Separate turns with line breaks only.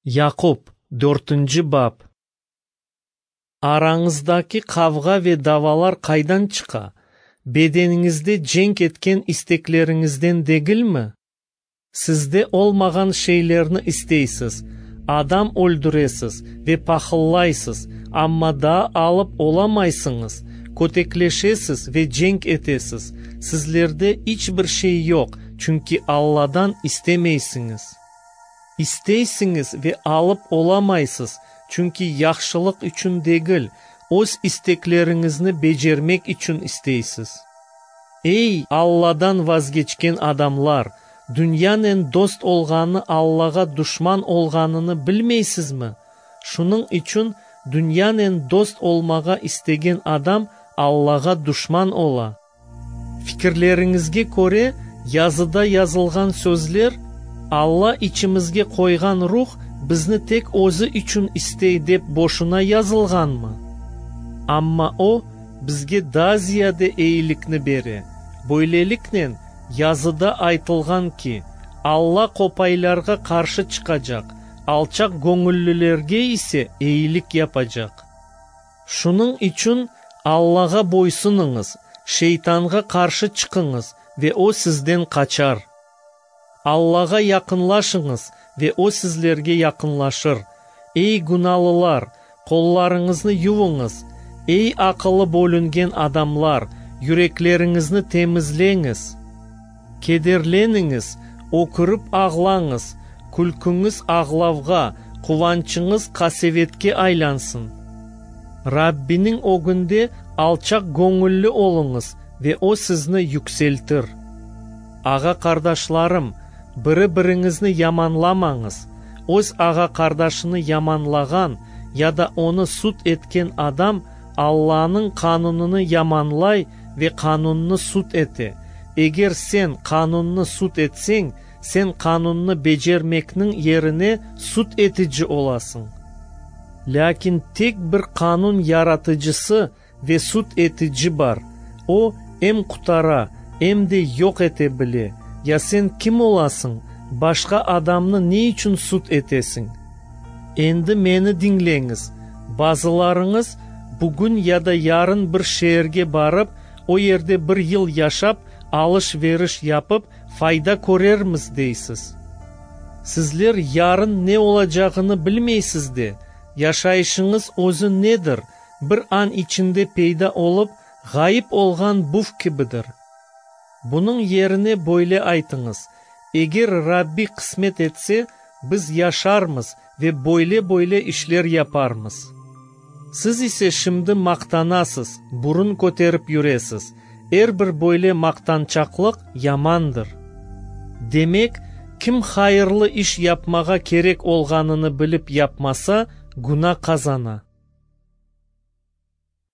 Yaqub, dörtünci bap. Arañızdaki qavğa ve davalar qaydan çıqa? Bedeniñizde cenk etken istekleriñizden degilmi? Sizde olmağan şeylerni isteysiz, adam öldüresiz ve pahıllaysız, amma daa alıp olamaysıñız, kötekleşesiz ve cenk etesiz. Sizlerde iç bir şey yoq, çünki Alladan istemeysiñiz. İsteysiñiz ve alıp olamaysız, çünki yahşılıq içün degil, öz istekleriñizni becermek içün isteysiz. Ey, Alladan vazgeçken adamlar, dünyanen dost olğanı Allağa duşman olğanını bilmeysizmi? Şunıñ içün dünyanen dost olmağa istegen adam Allağa duşman ola. Fikirleriñizge köre, yazıda yazılğan sözler, Alla içimizge qoyğan ruh bizni tek özü içün istey dep boşuna yazılğanmı? Amma o, bizge daa ziyade eyilikni bere. Böyleliknen, yazıda aytılğan ki, Alla qopaylarğa qarşı çıqacaq, alçaq göñüllilerge ise eyilik yapacaq. Şunıñ içün Allağa boysunıñız, şeytanğa qarşı çıqıñız ve o sizden qaçar. Allağa yaqınlaşıñız ve O sizlerge yaqınlaşır. Ey, günalılar, qollarıñıznı yuvuñız! Ey, aqılı bölüngen adamlar, yürekleriñizni temizleñiz! Kederleniñiz, ökürip ağlañız, külküñiz ağlavğa, quvançıñız qasevetke aylansın. Rabbiniñ ögünde alçaq göñülli oluñız ve O sizni yükseltir. Ağa-qardaşlarım, biri-biriñizni yamanlamañız. Öz ağa-qardaşını yamanlağan ya da onı sud etken adam Allanıñ qanunını yamanlay ve qanunnı sud ete. Eger sen qanunnı sud etseñ, sen qanunnı becermekniñ yerine sud etici olasıñ. Lâkin tek bir qanun yaratıcısı ve sud etici bar, o, em qutara, em de yoq ete bile. Ya sen kim olasıñ, başqa adamnı ne içün sud etesiñ? Endi meni diñleñiz, bazılarıñız, Bugün ya da yarın bir şeerge barıp, o yerde bir yıl yaşap, alış-veriş yapıp, fayda körermiz, deysiz. Sizler yarın ne olacağını bilmeysiz de! Yaşayışıñız özü nedir? Bir an içinde peyda olıp, ğayıp olğan buv kibidir. Bunıñ yerine böyle aytıñız, Eger Rabbi qısmet etse, biz yaşarmız ve böyle-böyle işler yaparmız. Siz ise şimdi maqtanasız, burun köterip yüresiz. Er bir böyle maqtançaqlıq yamandır. Demek, kim hayırlı iş yapmağa kerek olğanını bilip yapmasa, güna qazana.